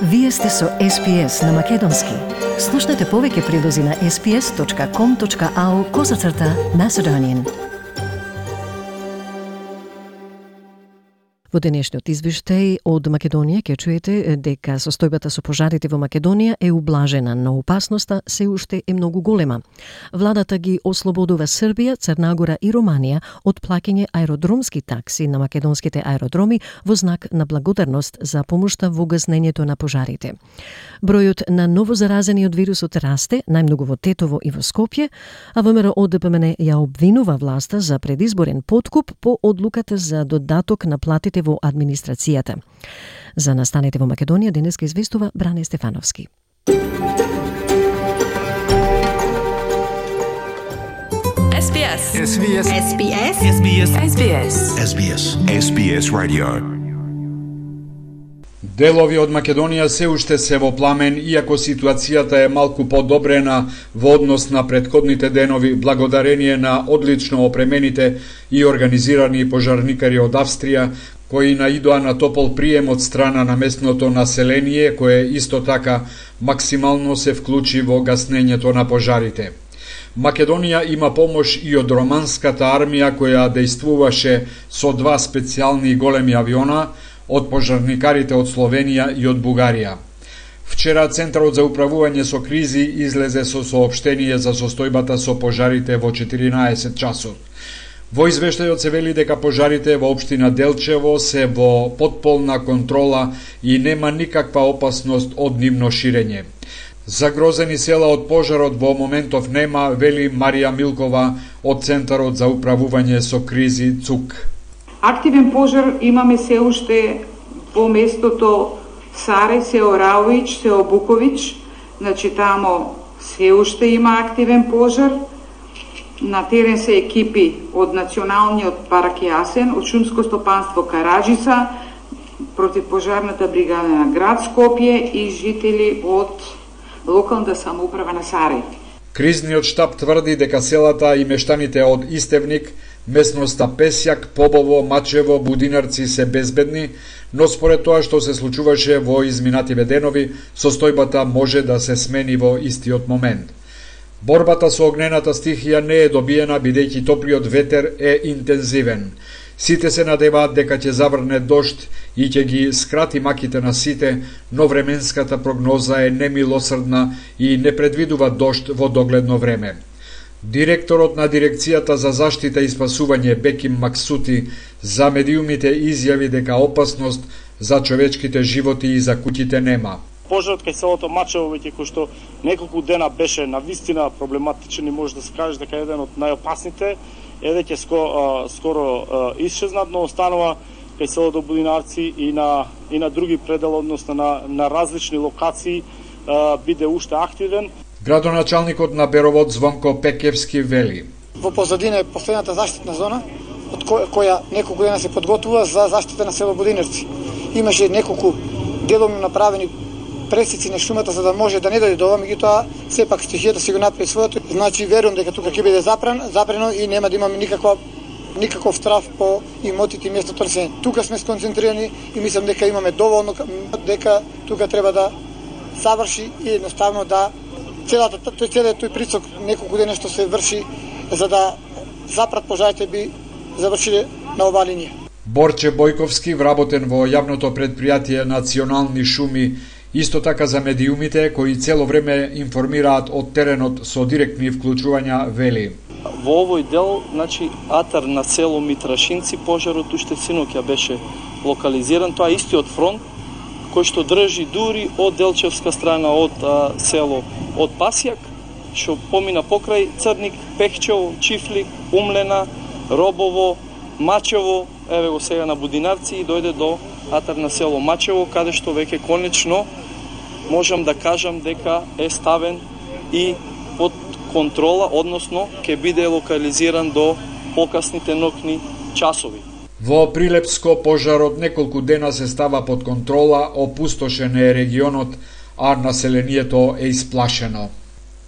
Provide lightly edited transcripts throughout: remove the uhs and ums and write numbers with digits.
Вие сте со SPS на Македонски. Слушнете повеќе прилози на sps.com.au/Macedonian. Во денешниот извештај од Македонија ќе чуете дека состојбата со пожарите во Македонија е ублажена, но опасноста се уште е многу голема. Владата ги ослободува Србија, Црна Гора и Романија од плаќање аеродромски такси на македонските аеродроми во знак на благодарност за помошта во гаснењето на пожарите. Бројот на новозаразени од вирусот расте, најмногу во Тетово и во Скопје, а ВМРО ДПМН ја обвинува власта за предизборен подкуп по одлуката за додаток на платите во администрацијата. За настаните во Македонија денеска известува Бране Стефановски. SBS Radio. Делови од Македонија се уште се во пламен, иако ситуацијата е малку подобрена во однос на претходните денови, благодарение на одлично опремените и организирани пожарникари од Австрија, кои наидоа на топол прием од страна на местното население, кое исто така максимално се вклучи во гаснењето на пожарите. Македонија има помош и од романската армија, која дејствуваше со 2 специјални големи авиона, од пожарникарите од Словенија и од Бугарија. Вчера Центарот за управување со кризи излезе со соопштение за состојбата со пожарите во 14 часот. Во извештајот се вели дека пожарите во општина Делчево се во потполна контрола и нема никаква опасност од нивно ширење. Загрозени села од пожарот во моментов нема, вели Марија Милкова од Центарот за управување со кризи ЦУК. Активен пожар имаме се уште во местото Саре, сео Раович, сео Букович, значи тамо се уште има активен пожар. На терен се екипи од Националниот парк Јасен, од Шумско стопанство Караджица, противпожарната бригада на град Скопје и жители од локалната самоуправа на Саре. Кризниот штаб тврди дека селата и мештаните од Истевник, местноста Песјак, Побово, Мачево, Будинарци се безбедни, но според тоа што се случуваше во изминативе денови, состојбата може да се смени во истиот момент. Борбата со огнената стихија не е добиена, бидејќи топлиот ветер е интензивен. Сите се надеваат дека ќе заврне дожд и ќе ги скрати маките на сите, но временската прогноза е немилосрдна и не предвидува дожд во догледно време. Директорот на Дирекцијата за заштита и спасување Беким Максути за медиумите изјави дека опасност за човечките животи и за куќите нема. Пожарот кај селото Мачево, веќе кој што неколку дена беше навистина проблематичен и може да се каже дека еден од најопасните, е веќе скоро исчезнат, но останува кај селото Будинарци и на други предели, односно на различни локации биде уште активен. Градоначалникот на Беровод Звонко Пекевски вели: Во позадина е постојната заштитна зона, од која неколку дена се подготвува за заштита на село Будинарци. Имаше неколку деломно направени пресици на шумата за да може да не дојде до ова, меѓутоа сепак стихијата си го направи своето. Значи верувам дека тука ќе биде запрено и нема да имаме никаков страф по имотите и местото търсење. Тука сме сконцентрирани и мислам дека имаме доволно, дека тука треба да заврши и едноставно да целиот тој прицок неколку дена што се врши за да запрат пожарите би завршиле на оваа линија. Борче Бојковски, вработен во јавното предпријатие Национални шуми, исто така за медиумите кои цело време информираат од теренот со директни вклучувања, вели: Во овој дел, значи, атар на село Митрашинци, пожарот уште синоќа беше локализиран. Тоа е истиот фронт кој што држи дури од Делчевска страна, од село од Пасјак, што помина покрај Црник, Пехчево, Чифлик, Умлена, Робово, Мачево, еве го сега на Будинарци и дојде до атар на село Мачево, каде што веќе конечно можам да кажам дека е ставен и под контрола, односно ќе биде локализиран до покасните ноќни часови. Во Прилепско пожарот неколку дена се става под контрола, опустошен е регионот, а населението е исплашено.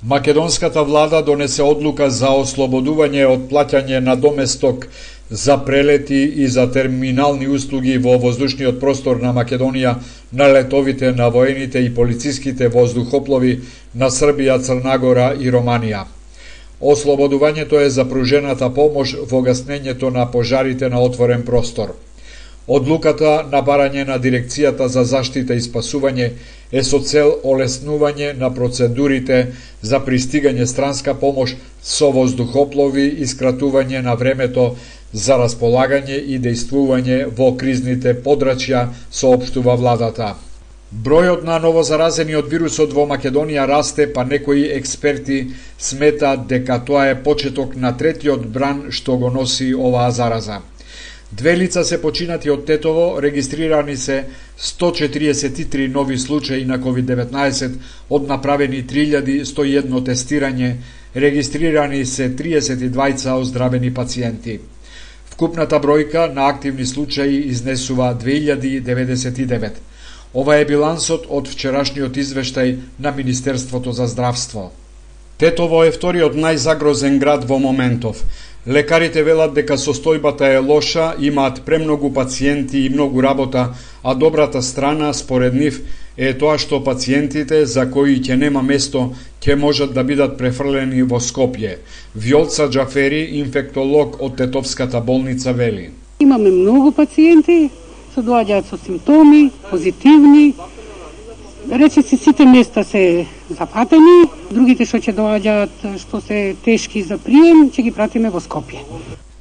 Македонската влада донесе одлука за ослободување од плаќање на доместок за прелети и за терминални услуги во воздушниот простор на Македонија на летовите на воените и полициските воздухоплови на Србија, Црна Гора и Романија. Ослободувањето е за пружената помош во гаснењето на пожарите на отворен простор. Одлуката на барање на Дирекцијата за заштита и спасување е со цел олеснување на процедурите за пристигање странска помош со воздухоплови и скратување на времето за располагање и дејствување во кризните подрачја, соопштува владата. Бројот на новозаразени од вирусот во Македонија расте, па некои експерти сметаат дека тоа е почеток на третиот бран што го носи оваа зараза. 2 лица се починати од Тетово, регистрирани се 143 нови случаи на COVID-19 од направени 3101 тестирање, регистрирани се 32 оздравени пациенти. Вкупната бројка на активни случаи изнесува 2099. Ова е билансот од вчерашниот извештај на Министерството за здравство. Тетово е вториот најзагрозен град во моментов. Лекарите велат дека состојбата е лоша, имаат премногу пациенти и многу работа, а добрата страна, според нив, е тоа што пациентите за кои ќе нема место, ќе можат да бидат префрлени во Скопје. Вјолца Џафери, инфектолог од Тетовската болница, вели. Имаме многу пациенти, се доаѓаат со симптоми, позитивни. Речиси сите места се запатени, другите што ќе доаѓаат што се тешки за прием, ќе ги пратиме во Скопје.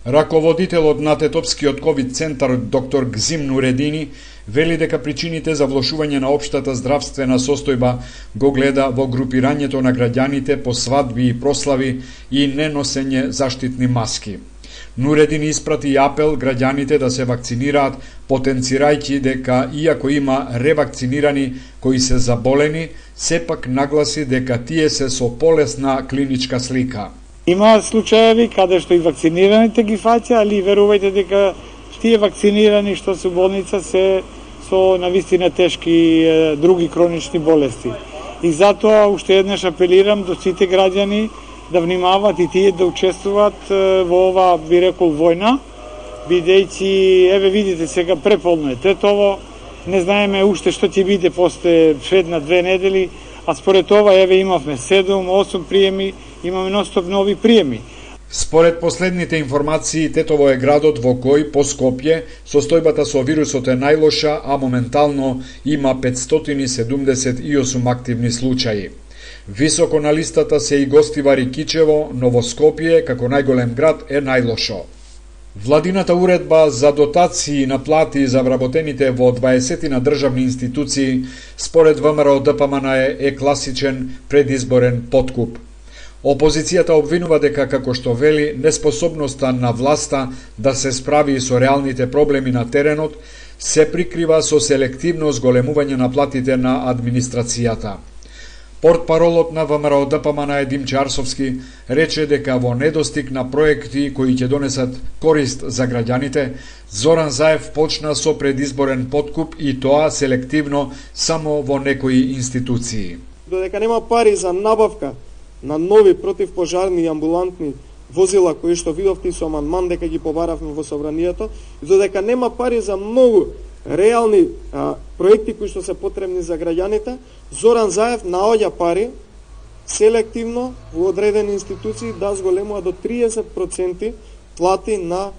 Раководителот на Тетовскиот ковид центар доктор Гзим Нуредини вели дека причините за влошување на општата здравствена состојба го гледа во групирањето на граѓаните по свадби и прослави и неносење заштитни маски. Нуредин испрати апел граѓаните да се вакцинираат, потенцирајќи дека иако има ревакцинирани кои се заболени, сепак нагласи дека тие се со полесна клиничка слика. Има случаеви каде што и вакцинираните ги фаќа, али верувајте дека тие вакцинирани што се болница се со навистина тешки други хронични болести. И затоа уште еднаш апелирам до сите граѓани да внимават и тие да учествуваат во ова, би рекол, војна, бидејќи, еве видите сега преполно е Тетово, не знаеме уште што ќе биде после една 2 недели, а според това еве имавме 7-8 приеми, имаме ностоп нови приеми. Според последните информации, Тетово е градот во кој по Скопје состојбата со вирусот е најлоша, а моментално има 578 активни случаи. Високо на листата се и Гостивари Кичево, но во Скопје, како најголем град, е најлошо. Владината уредба за дотации на плати за вработените во 20 на државни институции, според ВМРО ДПМН е класичен предизборен подкуп. Опозицијата обвинува дека, како што вели, неспособноста на власта да се справи со реалните проблеми на теренот се прикрива со селективно зголемување на платите на администрацијата. Портпаролот на ВМРО ДПМН Димче Арсовски рече дека во недостиг на проекти кои ќе донесат корист за граѓаните, Зоран Заев почна со предизборен подкуп и тоа селективно само во некои институции. Додека нема пари за набавка на нови противпожарни и амбулантни возила кои што видовте со амандман дека ги побаравме во собранието, и додека нема пари за многу реални проекти кои што се потребни за граѓаните, Зоран Заев наоѓа пари селективно во одредени институции да зголемува до 30% плати на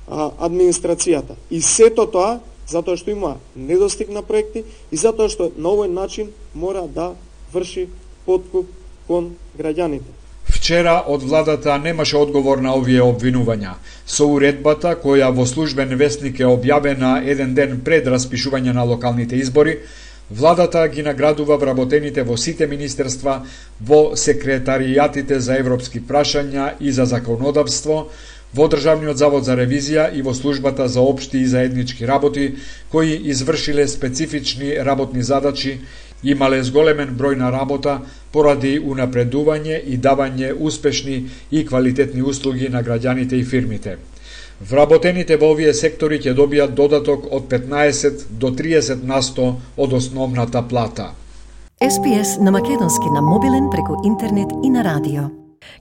администрацијата. И сето тоа затоа што има недостиг на проекти и затоа што на овој начин мора да врши подкуп кон граѓаните. Вчера од владата немаше одговор на овие обвинувања. Со уредбата, која во службен весник е објавена еден ден пред распишување на локалните избори, владата ги наградува вработените во сите министерства, во секретаријатите за европски прашања и за законодавство, во Државниот завод за ревизија и во службата за општи и заеднички работи, кои извршиле специфични работни задачи, имале зголемен број на работа поради унапредување и давање успешни и квалитетни услуги на граѓаните и фирмите. Вработените во овие сектори ќе добијат додаток од 15 до 30% од основната плата. SPS на македонски на мобилен преку интернет и на радио.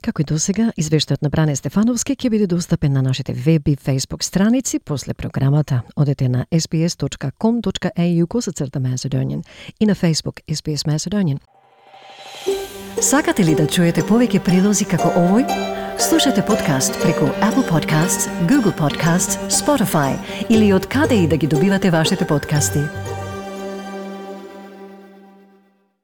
Како и досега, извештајот на Бране Стефановски ќе биде достапен на нашите веб и Facebook страници после програмата. Одете на sbs.com.au/Macedonian и на Facebook SBS Macedonian. Сакате ли да чуете повеќе прилози како овој? Слушате подкаст преку Apple Podcasts, Google Podcasts, Spotify или од каде и да ги добивате вашите подкасти.